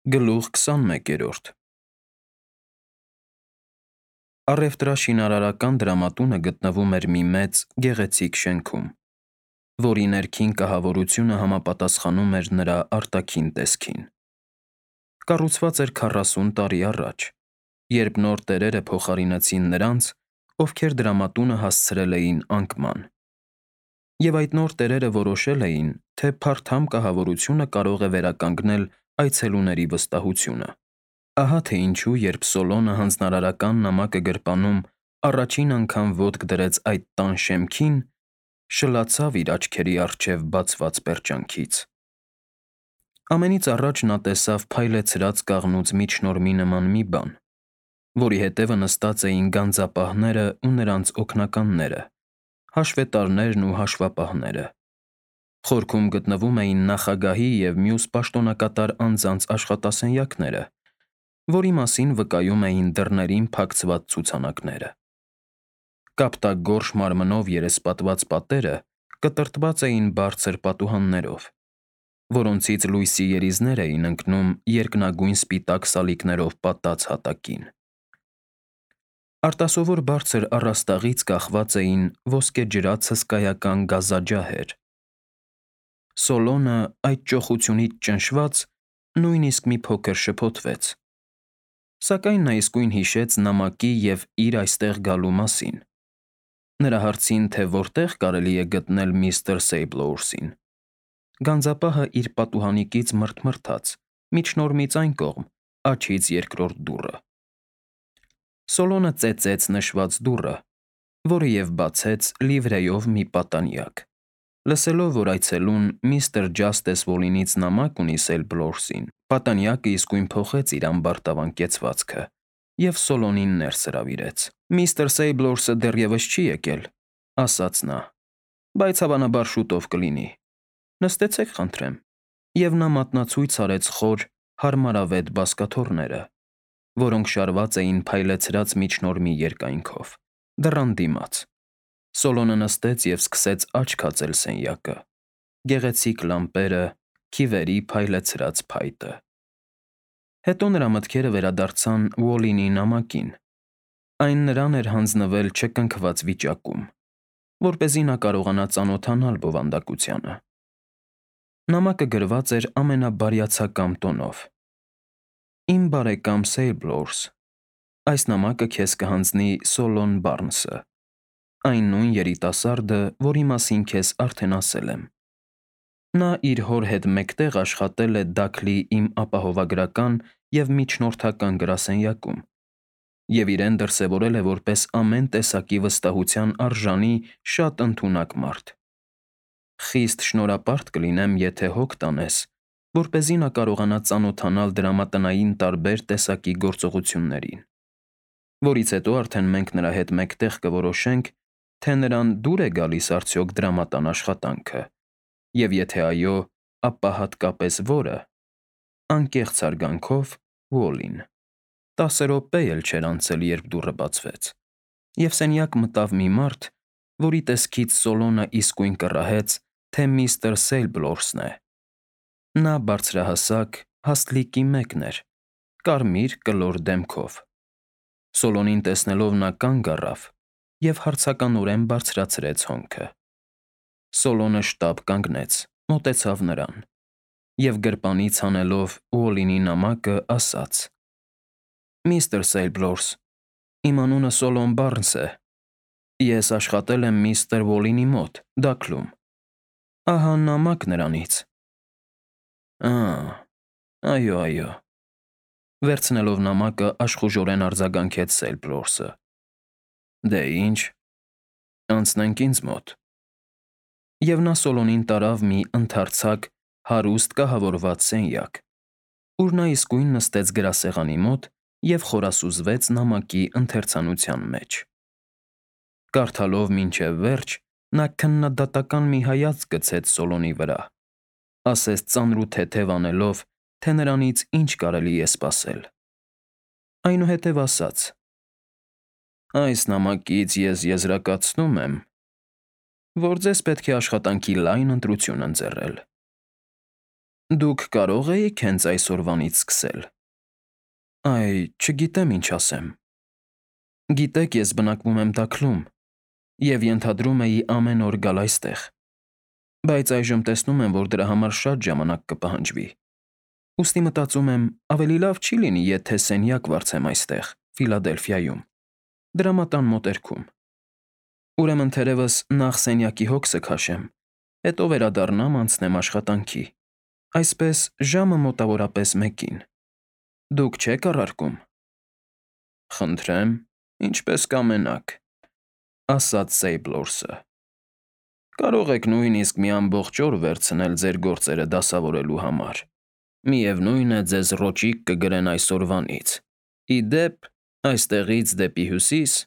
Գլուխ 21 Առևտրաշինարարական դրամատունը գտնվում էր մի մեծ, գեղեցիկ շենքում, որի ներքին կահավորությունը համապատասխանում էր նրա արտաքին տեսքին։ Կառուցված էր 40 տարի առաջ, երբ նոր տերերը փոխարինեցին նրանց, ովքեր դրամատունը հասցրել էին անկման։ Եվ այդ նոր տերերը որոշել էին, թե փարթամ կահավորությունը կարող է վերականգնել այցելուների վստահությունը։ Ահա թե ինչու, երբ Սոլոնը հանձնարարական նամակը գրպանում առաջին անգամ ոտք դրեց այդ տան շեմքին, շլացավ իր աչքերի առջև բացված պերճանքից։ Ամենից առաջ նա տեսավ փայլեցրած կաղնուց միջնորմի նման մի բան, որի հետևը նստած էին գանձապահները ու նրանց օգնականները, հաշվետարներն ու հաշվապահները։ Խորքում գտնվում էին նախագահի և մյուս պաշտոնակատար անձանց աշխատասենյակները, որի մասին վկայում էին դռներին փակցված ցուցանակները։ Կապտագորշ մարմնով երեսպատված պատերը կտրտված էին բարձր պատուհաններով, որոնցից լույսի երիզներ էին ընկնում երկնագույն սպիտակ սալիկներով պատած հատակին։ Արտասովոր բարձր առաստաղից կախված էին ոսկեջրած հսկայական գազաջահեր։ Սոլոնը, այդ ճոխությունից ճնշված, նույնիսկ մի փոքր շփոթվեց։ Սակայն նա իսկույն հիշեց նամակի և իր այստեղ գալու մասին։ Նրա հարցին, թե որտեղ կարելի է գտնել միստր Սեյբլոուրսին, գանձապահը իր պատուհանիկից մռթմռթաց միջնորմից այն կողմ, աջից երկրորդ դուռը։ Սոլոնը ծեծեց նշված դուռը, որը և բացեց լիվրեով մի պատանյակ։ Լսելով, որ այցելուն միստր Ջաստես Վոլինից նամակ ունի Սեյբլոուրսին, պատանյակը իսկույն փոխեց իր ամբարտավան կեցվածքը և Սոլոնին ներս հրավիրեց։ «Միստր Սեյբլոուրսը դեռևս չի եկել,» ասաց նա, «բայց հավանաբար շուտով կլինի։ Նստեցեք, խնդրեմ»։ Եվ նա մատնացույց արեց խոր, հարմարավետ բազկաթոռները, որոնք շարված էին փայլեցրած միջնորմի երկայնքով, դռան դիմաց։ Սոլոնը նստեց և սկսեց աչք հացել սենյակը՝ գեղեցիկ լամպերը, քիվերի փայլեցրած փայտը։ Հետո նրա մտքերը վերադարձան Ուոլինի նամակին։ Այն նրան էր հանձնվել չկնքված վիճակում, որպեսզի նա կարողանա ծանոթանալ բովանդակությանը։ Նամակը գրված էր ամենաբարյացակամ տոնով. «Իմ բարեկամ Սեյբլոուրս, այս նամակը քեզ կհանձնի Սոլոն Բարնսը, այն նույն երիտասարդը, որի մասին քեզ արդեն ասել եմ։ Նա իր հոր հետ մեկտեղ աշխատել է Դաքլի իմ ապահովագրական և միջնորդական գրասենյակում և իրեն դրսևորել է որպես ամեն տեսակի վստահության արժանի շատ ընդունակ մարդ։ Խիստ շնորհապարտ կլինեմ, եթե հոգ տանես, որպեսզի նա կարողանա ծանոթանալ դրամատնային տարբեր տեսակի գործողություններին, որից հետո արդեն մենք նրա հետ մեկտեղ կորոշենք, թե նրան դուր է գալիս արդյոք դրամատան աշխատանքը, և եթե այո, ապա հատկապես որը։ Անկեղծ հարգանքով, Ուոլին»։ 10 րոպե էլ չէր անցել, երբ դուռը բացվեց, և սենյակ մտավ մի մարդ, որի տեսքից Սոլոնը իսկույն կռահեց, թե միստր Սեյբլոուրսն է։ Նա բարձրահասակ, հաստլիկի մեկն էր, կարմիր կլոր դեմքով։ Սոլոնին տեսնելով նա կանգ առավ և հարցականորեն բարձրացրեց հոնքը։ Սոլոնը շտապ կանգնեց, մոտեցավ նրան և գրպանից հանելով Ուոլինի նամակը, ասաց. «Միստր Սեյբլոուրս, իմ անունը Սոլոն Բարնս է։ Ես աշխատել եմ միստր Ուոլինի մոտ Դաքլում։ Ահա նամակ նրանից»։ Այո։ Վերցնելով նամակը աշխուժորեն արձագանքեց Սեյբլոուրսը։ Դե ինչ, անցնենք ինձ մոտ։ Եվ նա Սոլոնին տարավ մի ընդարձակ, հարուստ կահավորված սենյակ, ուր նա իսկույն նստեց գրասեղանի մոտ և խորասուզվեց նամակի ընթերցանության մեջ։ Կարդալով մինչև վերջ, նա քննադատական մի հայացք գցեց Սոլոնի վրա, ասես ծանրութեթև անելով, թե նրանից ինչ կարելի է սպասել։ Այնուհետև ասաց. «Այս նամակից ես եզրակացնում եմ, որ ձեզ պետք է աշխատանքի լայն ընտրություն ընձեռել։ Դուք կարող էիք հենց այսօրվանից սկսել։ Այ, չգիտեմ ինչ ասեմ։ Գիտեք, ես բնակվում եմ Դաքլում և ենթադրում էի ամեն օր գալ այստեղ, բայց այժմ տեսնում եմ, որ դրա համար շատ ժամանակ կպահանջվի։ Ուստի մտածում եմ, ավելի լավ չի լինի, եթե սենյակ վարձեմ այստեղ, Ֆիլադելֆիայում, դրամատան մոտերքում։ Ուրեմն թերևս նախ սենյակի հոգսը քաշեմ, հետո վերադառնամ անցնեմ աշխատանքի։ Այսպես ժամը մոտավորապես 1-ին։ Դուք չեք առարկում։ Խնդրեմ, ինչպես կամենաք, ասաց Սեյբլորսը։ Կարող եք նույնիսկ մի ամբողջ օր վերցնել ձեր գործերը դասավորելու համար։ Միևնույն է, ձեզ ռոճիկ կգրեն այսօրվանից։ Ի դեպ, այստեղից դեպի հյուսիս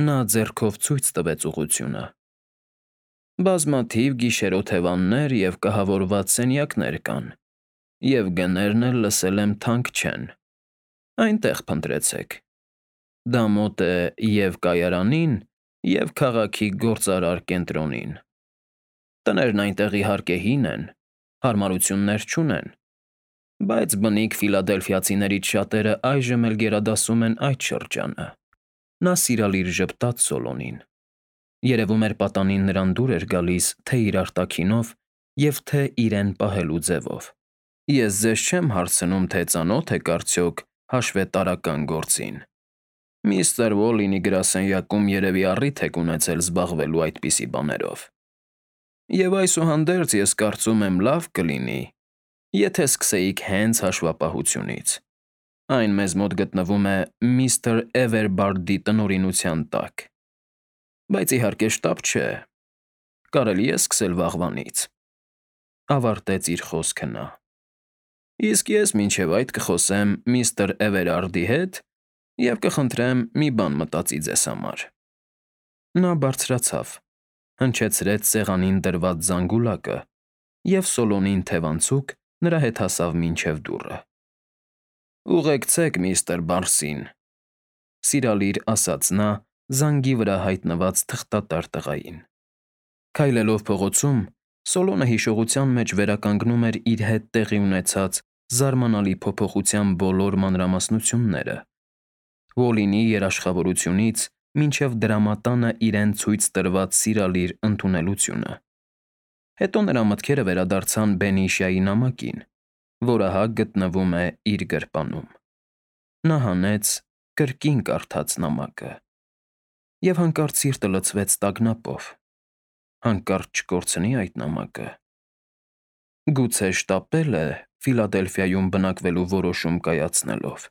նա ձեռքով ցույց տվեց ուղղությունը։ Բազմաթիվ գիշերօթևաններ և կահավորված սենյակներ կան, և գներն էլ լսել եմ թանկ չեն։ Այնտեղ փնտրեցեք։ Դա մոտ է և կայարանին, և քաղաքի գործարար կենտրոնին։ Տներն այնտեղ իհարկե հին են, հարմարություններ չունեն, բայց բնիկ ֆիլադելֆիացիներից շատերը այժմ էլ գերադասում են այդ շրջանը։ Նա սիրալիր ժպտաց Սոլոմին։ Երևում էր պատանին նրան դուր էր գալիս թե իր արտաքինով և թե իրեն պահելու ձևով։ Ես ձեզ չեմ հարցնում, թե ծանո՞թ եք արդյոք հաշվետարական գործին։ Միստր Ուոլինի գրասենյակում երևի առիթ եք ունեցել զբաղվելու այդպիսի բաներով։ Եվ այսուհանդերձ ես կարծում եմ լավ կլինի, եթե սկսեիք հենց հաշվապահությունից։ Այն մեզ մոտ գտնվում է միստր Էվերբարդի տնօրինության տակ։ Բայց իհարկե շտապ չէ, կարելի է սկսել վաղվանից։ Ավարտեց իր խոսքը նա։ Իսկ ես մինչև այդ կխոսեմ միստր Էվերարդի հետ և կխնդրեմ մի բան մտածի ձեզ համար։ Նա բարձրացավ, հնչեցրեց սեղանին դրված զանգուլակը, և Սոլոմին թևանցուկ նրա հետ հասավ մինչև դուռը։ Ուղեկցեք միստր Բարսին, սիրալիր ասաց նա զանգի վրա հայտնված թղթատար տղային։ Քայլելով փողոցում, Սոլոմը հիշողության մեջ վերականգնում էր իր հետ տեղի ունեցած զարմանալի փոփոխության բոլոր մանրամասնությունները՝ Ուոլինի երաշխավորությունից մինչև դրամատանը իրեն ցույց տրված սիրալիր ընդունելությունը։ Հետո նրա մտքերը վերադարձան Բենիշիայի նամակին, որ ահա գտնվում է իր գրպանում։ Նա հանեց, կրկին կարդաց նամակը, և հանկարծ սիրտը լցվեց տագնապով։ Հանկարծ չկորցնի այդ նամակը։ Գուցե շտապել է Ֆիլադելֆիայում բնակվելու որոշում կայացնելով։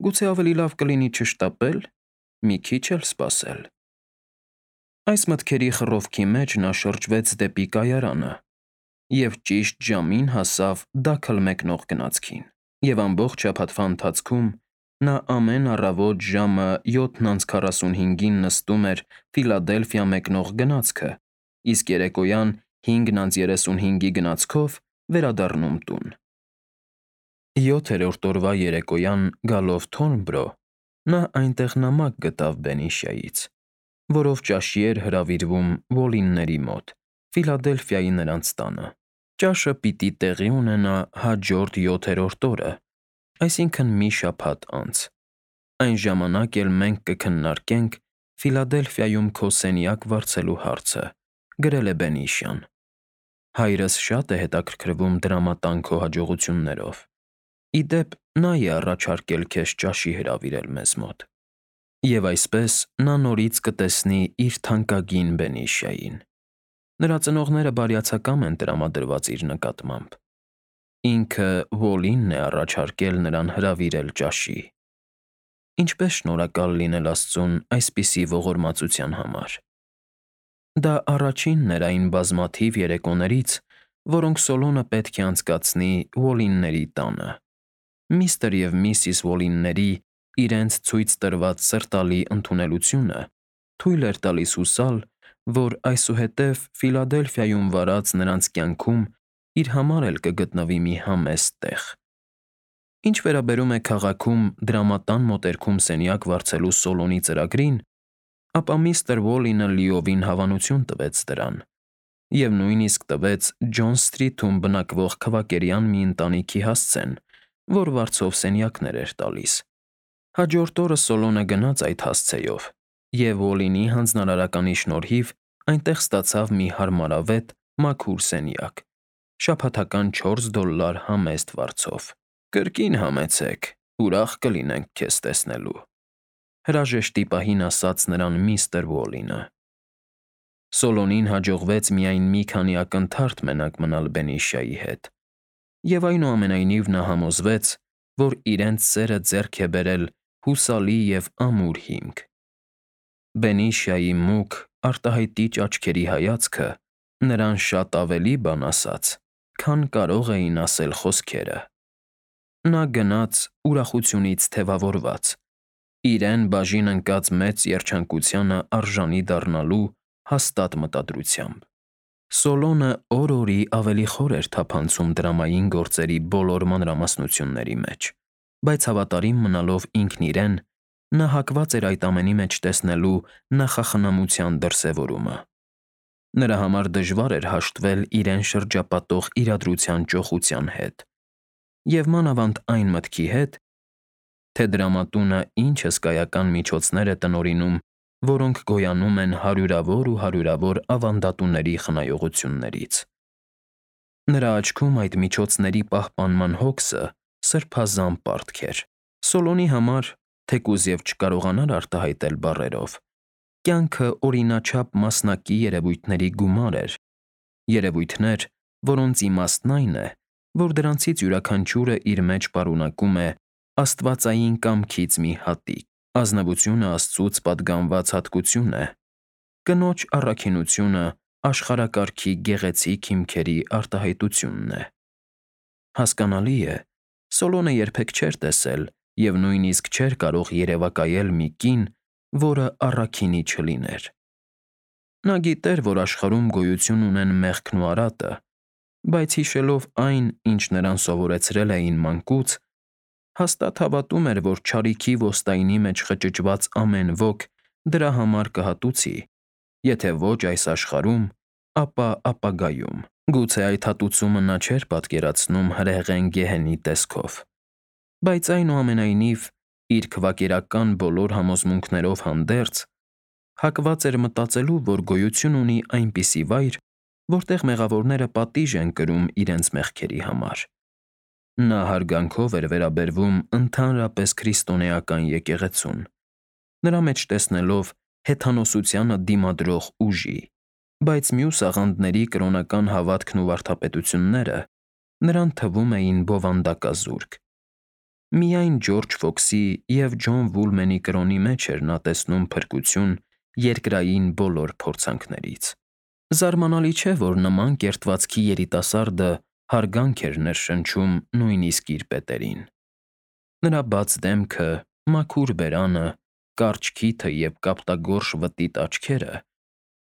Գուցե ավելի լավ կլինի չշտապել, մի քիչ էլ սպասել։ Այս մտքերի խռովքի մեջ նա շրջվեց դեպի կայարանը և ճիշտ ժամին հասավ դաքլ մեկնող գնացքին։ Եվ ամբողջ շաբաթվա ընթացքում նա ամեն առավոտ ժամը 7:45-ին նստում էր Ֆիլադելֆիա մեկնող գնացքը, իսկ երեկոյան 5:35-ի գնացքով վերադառնում տուն։ 7-րդ օրվա երեկոյան գալով Թորնբրո, նա այնտեղ նամակ գտավ Բենիշիայից, որով ճաշի էր հրավիրվում Ուոլինների մոտ, Ֆիլադելֆիայի նրանց տանը։ Ճաշը պիտի տեղի ունենա հաջորդ 7-րդ օրը, այսինքն մի շաբաթ անց։ Այն ժամանակ էլ մենք կքննարկենք Ֆիլադելֆիայում քո սենյակ վարձելու հարցը, գրել է Բենիշիան։ Հայրս շատ է հետաքրքրվում դրամատան քո հաջողություններով։ Ի դեպ, նա է առաջարկել քեզ ճաշի հրավիրել մեզ մոտ։ Եվ այսպես նա նորից կտեսնի իր թանկագին Բենիշիային։ Նրա ծնողները բարյացակամ են տրամադրված իր նկատմամբ։ Ինքը Ուոլինն է առաջարկել նրան հրավիրել ճաշի։ Ինչպես շնորհակալ լինել Աստծուն այսպիսի ողորմածության համար։ Դա առաջինն էր այն բազմաթիվ երեկոներից, որոնք Սոլոմը պետք է անցկացնի Ուոլինների տանը։ Միստր և Միսիս Ուոլինների իրենց ցույց տրված սրտալի ընդունելությունը թույլ էր տալիս հուսալ, որ այսուհետև Ֆիլադելֆիայում վարած նրանց կյանքում իր համար էլ կգտնվի մի համեստ տեղ։ Ինչ վերաբերում է քաղաքում դրամատան մոտերքում սենյակ վարձելու Սոլոմի ծրագրին, ապա միստր Ուոլինը լիովին հավանություն տվեց դրան, և նույնիսկ տվեց Ջոն Սթրիթում բնակվող քվակերյան մի ընտանիքի հասցեն, որ վարձով սենյակներ էր տալիս։ Հաջորդ օրը Սոլոնը գնաց այդ հասցեով, և Օլինի հանձնարարականի շնորհիվ այնտեղ ստացավ մի հարմարավետ, մաքուր սենյակ, շաբաթական $4 համեստ վարձով։ «Կրկին համեցեք, ուրախ կլինենք քեզ տեսնելու», հրաժեշտի պահին ասաց նրան միստր Ուոլինը։ Սոլոնին հաջողվեց միայն մի քանի ակնթարթ մենակ մնալ Բենիշյայի հետ, և այնուամենայնիվ նա համոզվեց, որ իրենց սերը ձեռք է բերել հուսալի և ամուր հիմք։ Բենիշյայի մուգ, արտահայտիչ աչքերի հայացքը նրան շատ ավելի բան ասաց, քան կարող էին ասել խոսքերը։ Նա գնաց ուրախությունից թևավորված, իրեն բաժին ընկած մեծ երջանկությանը արժանի դառնալու հաստատ մտադրությամբ։ Սոլոնը օր-օրի ավելի խոր էր թափանցում դրամային գործերի բոլոր մանրամասնությունների մեջ, բայց հավատարիմ մնալով ինքն իրեն, նա հակված էր այդ ամենի մեջ տեսնելու նախախնամության դրսևորումը։ Նրա համար դժվար էր հաշտվել իրեն շրջապատող իրադրության ճոխության հետ, և մանավանդ այն մտքի հետ, թե դրամատունը ինչ հսկայական միջոցներ է տնօրինում, որոնք գոյանում են հարյուրավոր ու հարյուրավոր ավանդատուների խնայողություններից։ Նրա աչքում այդ միջոցների պահպանման հոգսը սրբազան պարտք էր։ Սոլոնի համար, թեկուզ և չկարողանար արտահայտել բառերով, կյանքը օրինաչափ մասնակի երևույթների գումար էր, երևույթներ, որոնց իմաստն այն է, որ դրանցից յուրաքանչյուրը իր մեջ պարունակում է աստվածային կամքից մի հատիկ։ Ազնվությունը Աստծուց պատգամված հատկություն է, կնոջ առաքինությունը աշխարհակարգի գեղեցիկ հիմքերի արտահայտությունն է։ Հասկանալի է, Սոլոնը երբեք չէր տեսել և նույնիսկ չէր կարող երևակայել մի կին, որը առաքինի չլիներ։ Նա գիտեր, որ աշխարհում գոյություն ունեն մեղքն ու արատը, բայց հիշելով այն, ինչ նրան սովորեցրել էին մանկուց, հաստատ հավատում էր, որ չարիքի ոստայնի մեջ խճճված ամեն ոք դրա համար կհատուցի, եթե ոչ այս աշխարհում, ապա ապագայում։ Գուցե այդ հատուցումը նա չէր պատկերացնում հրեղեն գեհենի տեսքով, բայց այնուամենայնիվ, իր քվակերական բոլոր համոզմունքներով հանդերձ, հակված էր մտածելու, որ գոյություն ունի այնպիսի վայր, որտեղ մեղավորները պատիժ են կրում իրենց մեղքերի համար։ Նա հարգանքով էր վերաբերվում ընդհանրապես քրիստոնեական եկեղեցուն, նրա մեջ տեսնելով հեթանոսությանը դիմադրող ուժի, բայց մյուս աղանդների կրոնական հավատքն ու վարդապետությունները նրան թվում էին բովանդակազուրկ։ Միայն Ջորջ Ֆոքսի և Ջոն Վուլմենի կրոնի մեջ էր նա տեսնում փրկություն երկրային բոլոր փորձանքներից։ Զարմանալի չէ, որ նման կերտվածքի երիտասարդը հարգանք էր ներշնչում նույնիսկ իր պետերին։ Նրա բաց դեմքը, մաքուր բերանը, կարճ քիթը և կապտագորշ վտիտ աչքերը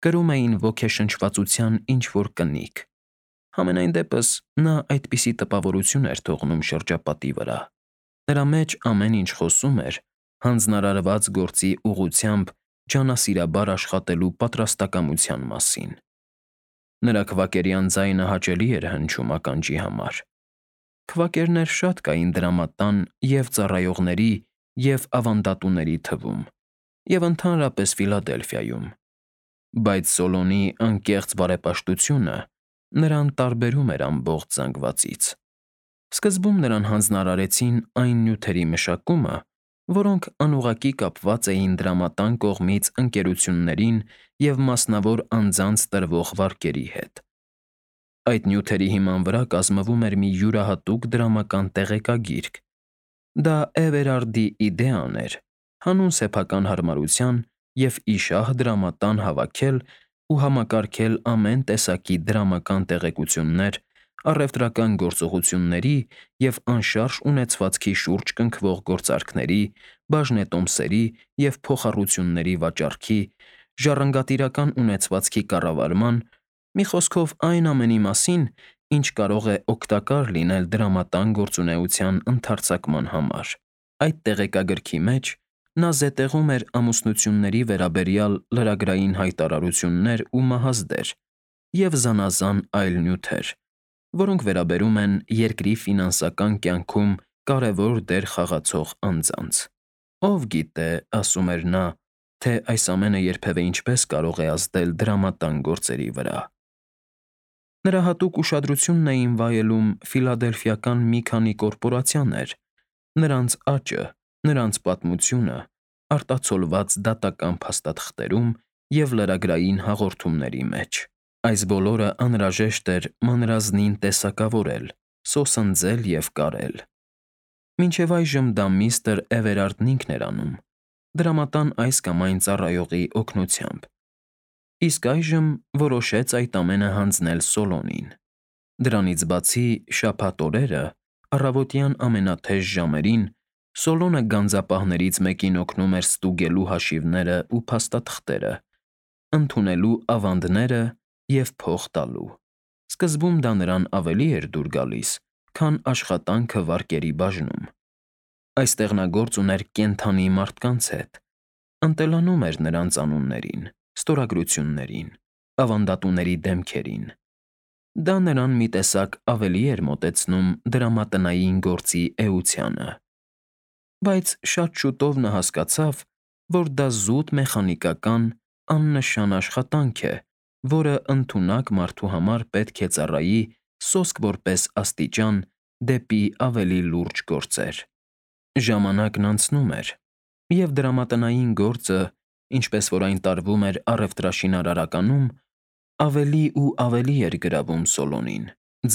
կրում էին ոգեշնչվածության ինչ-որ կնիկ, համենայն դեպս նա այդպիսի տպավորություն էր թողնում շրջապատի վրա։ Նրա մեջ ամեն ինչ խոսում էր հանձնարարված գործի ուղղությամբ ջանասիրաբար աշխատելու պատրաստակամության մասին։ Նրա քվակերյան ձայնը հաճելի էր հնչում ականջի համար։ Քվակերներ շատ կային դրամատան և ծառայողների և ավանդատուների թվում, և ընդհանրապես Ֆիլադելֆիայում, բայց Սոլոնի անկեղծ բարեպաշտությունը նրան տարբերում էր ամբողջ զանգվածից։ Սկզբում նրան հանձնարարեցին այն նյութերի մշակումը, որոնք անուղղակի կապված էին դրամատան կողմից ընկերություններին և մասնավոր անձանց տրվող վարկերի հետ։ Այդ նյութերի հիման վրա կազմվում էր մի յուրահատուկ դրամական տեղեկագիրք։ Դա Էվերարդի իդեան էր հանուն սեփական հարմարության և իշահ դրամատան հավաքել ու համակարգել ամեն տեսակի դրամական տեղեկություններ առևտրական գործողությունների և անշարժ ունեցվածքի շուրջ կնքվող գործարքների, բաժնետոմսերի և փոխառությունների վաճառքի, ժառանգատիրական ունեցվածքի կառավարման, մի խոսքով այն ամենի մասին, ինչ կարող է օգտակար լինել դրամատան գործունեության ընդարձակման համար։ Այդ տեղեկագրքի մեջ նա զետեղում էր ամուսնությունների վերաբերյալ լրագրային հայտարարություններ ու մահազդեր, և զանազան այլ նյութեր, որոնք վերաբերում են երկրի ֆինանսական կյանքում կարևոր դեր խաղացող անձանց։ Ով գիտե, ասում էր նա, թե այս ամենը երբևէ ինչպես կարող է ազդել դրամատան գործերի վրա։ Նրա հատուկ ուշադրությունն էին վայելում ֆիլադելֆիական մի քանի կորպորացիաներ, նրանց աճը, նրանց պատմությունը, արտացոլված դատական փաստաթղթերում և լրագրային հաղորդումների մեջ։ Այս բոլորը անհրաժեշտ էր մանրազնին տեսակավորել, սոսնձել և կարել։ Մինչև այժմ դա միստր Էվերարդն ինքն էր անում, դրամատան այս կամ այն ծառայողի օգնությամբ, իսկ այժմ որոշեց այդ ամենը հանձնել Սոլոնին։ Դրանից բացի, շաբաթ օրերը, առավոտյան ամենաթեժ ժամերին, Սոլոնը գանձապահներից մեկին օգնում էր ստուգելու հաշիվները ու փաստաթղթերը, ընդունելու ավանդները և փող տալու։ Սկզբում դա նրան ավելի էր դուր գալիս, քան աշխատանքը վարկերի բաժնում։ Այստեղ նա գործ ուներ կենդանի մարդկանց հետ, ընտելանում էր նրանց անուններին, ստորագրություններին, ավանդատուների դեմքերին։ Դա նրան մի տեսակ ավելի էր մոտեցնում դրամատնային գործի էությանը։ Բայց շատ շուտով նա հասկացավ, որ դա զուտ մեխանիկական, աննշան աշխատանք է, որը ընդունակ մարդու համար պետք է ծառայի սոսկ որպես աստիճան դեպի ավելի լուրջ գործեր։ Ժամանակն անցնում էր, և դրամատնային գործը, ինչպես որ այն տարվում էր առևտրաշինարարականում, ավելի ու ավելի էր գրավում Սոլոնին,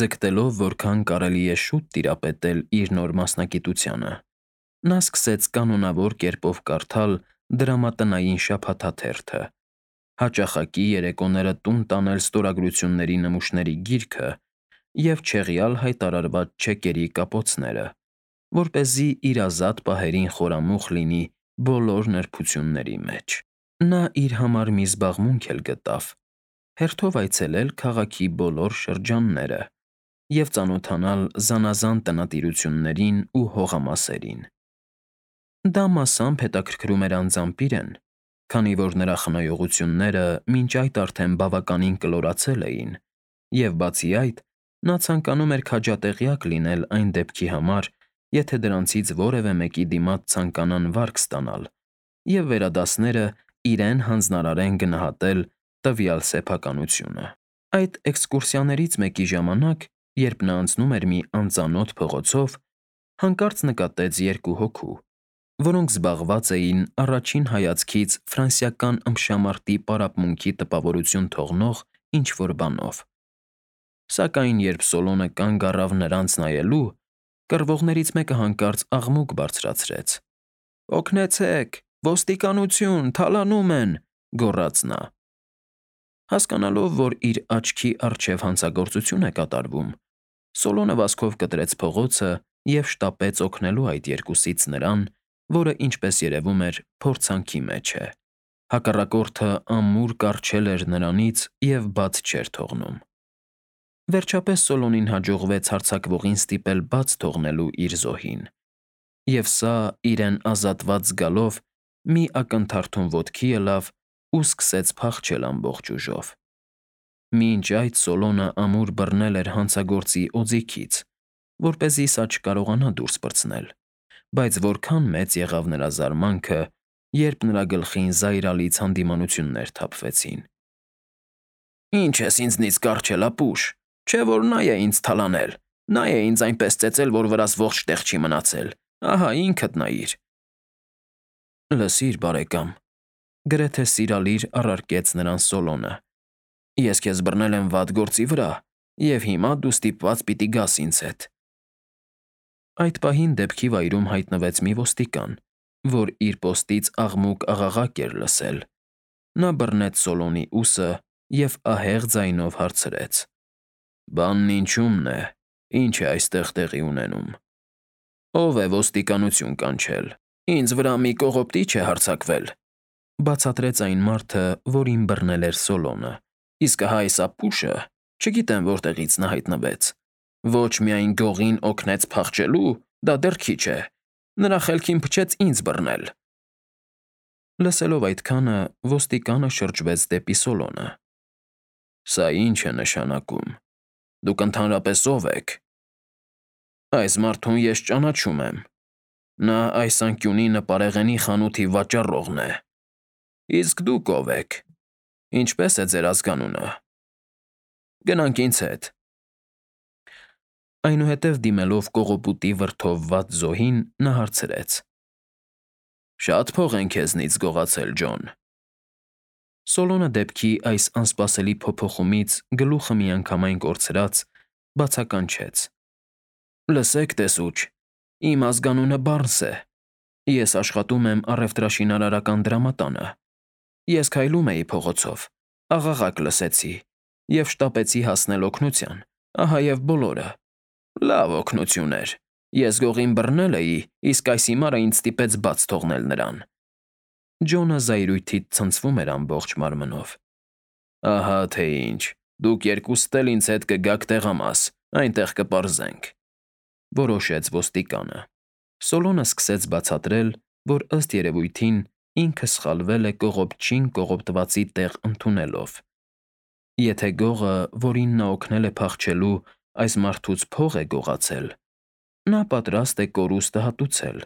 ձգտելով որքան կարելի է շուտ տիրապետել իր նոր մասնագիտությանը։ Նա սկսեց կանոնավոր կերպով կարդալ դրամատնային շաբաթաթերթը, հաճախակի երեկոները տուն տանել ստորագրությունների նմուշների գիրքը և չեղյալ հայտարարված չեկերի կապոցները, որպեսզի իր ազատ պահերին խորամուխ լինի բոլոր նրբությունների մեջ։ Նա իր համար մի զբաղմունք էլ գտավ՝ հերթով այցելել քաղաքի բոլոր շրջանները և ծանոթանալ զանազան տնտիրություններին ու հողամասերին։ Դա մասամբ հետաքրքրում էր անձամբ իրեն, քանի որ նրա խնայողությունները մինչ այդ արդեն բավականին կլորացել էին, և բացի այդ, նա ցանկանում էր քաջատեղյակ լինել այն դեպքի համար, եթե դրանցից որևէ մեկի դիմաց ցանկանան վարկ ստանալ, և վերադասները իրեն հանձնարարեն գնահատել տվյալ սեփականությունը։ Այդ էքսկուրսիաներից մեկի ժամանակ, երբ նա անցնում էր մի անծանոթ փողոցով, հանկարծ նկատեց երկու հոգու, որոնք զբաղված էին առաջին հայացքից ֆրանսիական ըմբշամարտի պարապմունքի տպավորություն թողնող ինչ֊որ բանով։ Սակայն երբ Սոլոնը կանգ առավ նրանց նայելու, կռվողներից մեկը հանկարծ աղմուկ բարձրացրեց. «Օգնեցե՛ք, ոստիկանություն, թալանում են», ֊ գոռաց նա։ Հասկանալով, որ իր աչքի առջև հանցագործություն է կատարվում, Սոլոնը վազքով կտրեց փողոցը և շտապեց օգնելու այդ երկուսից նրան, որը, ինչպես երևում էր, փորձանքի մեջ է։ Հակառակորդը ամուր կառչել էր նրանից և բաց չէր թողնում։ Վերջապես Սոլոնին հաջողվեց հարձակվողին ստիպել բաց թողնելու իր զոհին, և սա, իրեն ազատված զգալով, մի ակնթարթում ոտքի ելավ ու սկսեց փախչել ամբողջ ուժով։ Մինչ այդ Սոլոնը ամուր բռնել էր հանցագործի օձիքից, որպեսզի սա չկարողանա դուրս պրծնել, բայց որքան մեծ եղավ նրա զարմանքը, երբ նրա գլխին զայրալից հանդիմանություններ թափվեցին։ «Ի՞նչ ես ինձնից կառչել, ապուշ, չէ՞ որ նա է ինձ թալանել, նա է ինձ այնպես ծեծել, որ վրաս ողջ տեղ չի մնացել, ահա ինքդ նայիր»։ «Լսիր, բարեկամ», գրեթե սիրալիր առարկեց նրան Սոլոնը, «ես քեզ բռնել եմ վատ գործի վրա, և հիմա դու ստիպված պիտի գաս ինձ հետ»։ Այդ պահին դեպքի վայրում հայտնվեց մի ոստիկան, որ իր պոստից աղմուկ-աղաղակ էր լսել։ Նա բռնեց Սոլոնի ուսը և ահեղ ձայնով հարցրեց. «Բանն ինչումն է, ինչ է այստեղ տեղի ունենում։ Ո՞վ է ոստիկանություն կանչել, ինձ վրա մի կողոպտիչ է հարձակվել», ֊ բացատրեց այն մարդը, որին բռնել էր Սոլոնը։ «Իսկ ահա այս ապուշը, չգիտեմ որտեղից նա հայտնվեց, ոչ միայն գողին օգնեց փախչելու, դա դեռ քիչ է, նրա խելքին փչեց ինձ բռնել»։ Լսելով այդքանը, ոստիկանը շրջվեց դեպի Սոլոնը։ Սա ի՞նչ է նշանակում։ Դուք ընդհանրապես ով եք։ Այս մարդուն ես ճանաչում եմ։ Նա այս անկյունի նպարեղենի խանութի վաճառողն է։ Իսկ դուք ով եք։ Ինչպե՞ս է ձեր ազգանունը։ Գնանք ինձ հետ։ Այնուհետև դիմելով կողոպուտի վրդովված զոհին, նա հարցրեց. Շատ փող են քեզնից գողացել, Ջոն։ Սոլոնը դեպքի այս անսպասելի փոփոխումից գլուխը միանգամայն կորցրած, բացականչեց. Լսեք, տեսուչ, իմ ազգանունը Բարնս է։ Ես աշխատում եմ առևտրաշինարարական դրամատանը։ Ես քայլում էի փողոցով, աղաղակ լսեցի և շտապեցի հասնել օգնության, ահա և բոլորը։ Լավ օգնություն էր։ Ես գողին բռնել էի, իսկ այս հիմարը ինձ ստիպեց բաց թողնել նրան։ Ջոնը զայրույթից ցնցվում էր ամբողջ մարմնով։ Ահա թե ինչ, դուք երկուստ էլ ինձ հետ կգաք տեղամաս, այնտեղ կպարզենք, որոշեց ոստիկանը։ Սոլոնը սկսեց բացատրել, որ ըստ երևույթին ինքը սխալվել է կողոպչին կողոպտվածի տեղ ընդունելով։ Եթե գողը, որին նա օգնել է փախչելու, այս մարդուց փող է գողացել, նա պատրաստ է կորուստը հատուցել։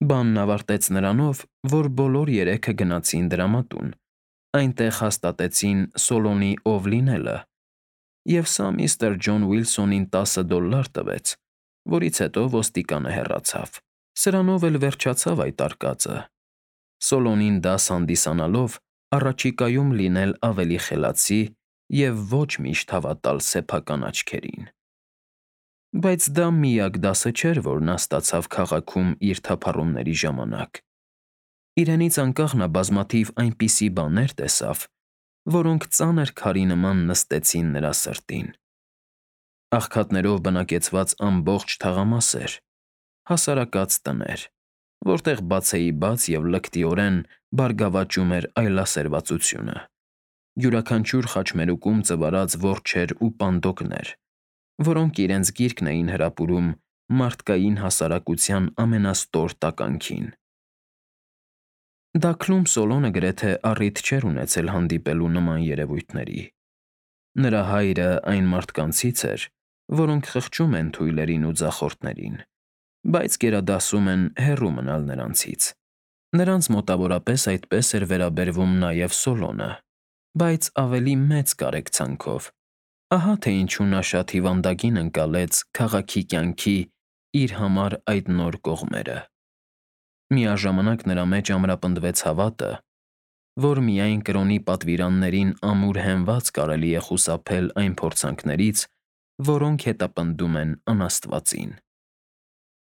Բանն ավարտեց նրանով, որ բոլոր երեքը գնացին դրամատուն, այնտեղ հաստատեցին Սոլոնի ով լինելը, և սա միստր Ջոն Ուիլսոնին $10 տվեց, որից հետո ոստիկանը հեռացավ։ Սրանով էլ վերջացավ այդ արկածը։ Սոլոնին դաս հանդիսանալով առաջիկայում լինել ավելի խելացի և ոչ միշտ հավատալ սեփական աչքերին։ Բայց դա միակ դասը չէր, որ նա ստացավ քաղաքում իր թափառումների ժամանակ։ Իրենից անկախ նա բազմաթիվ այնպիսի բաներ տեսավ, որոնք ծանր քարի նման նստեցին նրա սրտին։ Աղքատներով բնակեցված ամբողջ թաղամասեր, հասարակած տներ, որտեղ բացեիբաց և լկտիորեն բարգավաճում էր այլասերվածությունը, յուրաքանչյուր խաչմերուկում ծվարած որջեր ու պանդոկներ, որոնք իրենց գիրկն էին հրապուրում մարդկային հասարակության ամենաստոր տականքին։ Դաքլում Սոլոնը գրեթե առիթ չէր ունեցել հանդիպելու նման երևույթների։ Նրա հայրը այն մարդկանցից էր, որոնք խղճում են թույլերին ու ձախորդներին, բայց գերադասում են հեռու մնալ նրանցից։ Նրանց մոտավորապես այդպես էր վերաբերվում նաև Սոլոնը, բայց ավելի մեծ կարեկցանքով։ Ահա թե ինչու նա շատ հիվանդագին ընկալեց քաղաքի կյանքի իր համար այդ նոր կողմերը։ Միաժամանակ նրա մեջ ամրապնդվեց հավատը, որ միայն կրոնի պատվիրաններին ամուր հենված կարելի է խուսափել այն փորձանքներից, որոնք հետապնդում են անաստվածին։